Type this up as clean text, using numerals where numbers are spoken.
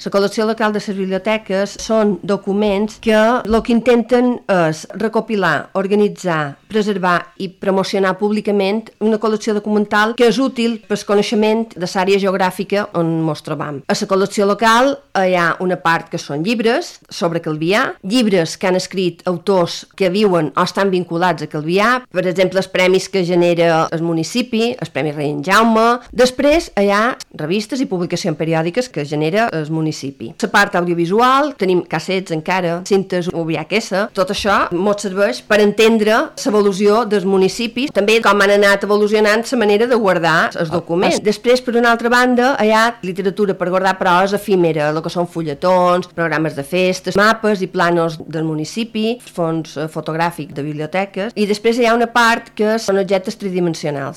La col·lecció local de les biblioteques són documents que el que intenten és recopilar, organitzar, preservar i promocionar públicament una col·lecció documental que és útil per al coneixement de l'àrea geogràfica on ens trobam. A la col·lecció local hi ha una part que són llibres sobre Calvià, llibres que han escrit autors que viuen o estan vinculats a Calvià, per exemple, els premis que genera el municipi, el Premi Rei en Jaume. Després hi ha revistes i publicacions periòdiques que genera el municipi. La part audiovisual, tenim cassets encara, cintes VHS, tot això ens serveix per entendre l'evolució dels municipis, també com han anat evolucionant la manera de guardar els documents. Després, per una altra banda, hi ha literatura per guardar, però és efímera, el que són fulletons, programes de festes, mapes i planos del municipi, fons fotogràfics de biblioteques, i després hi ha una part que són objectes tridimensionals.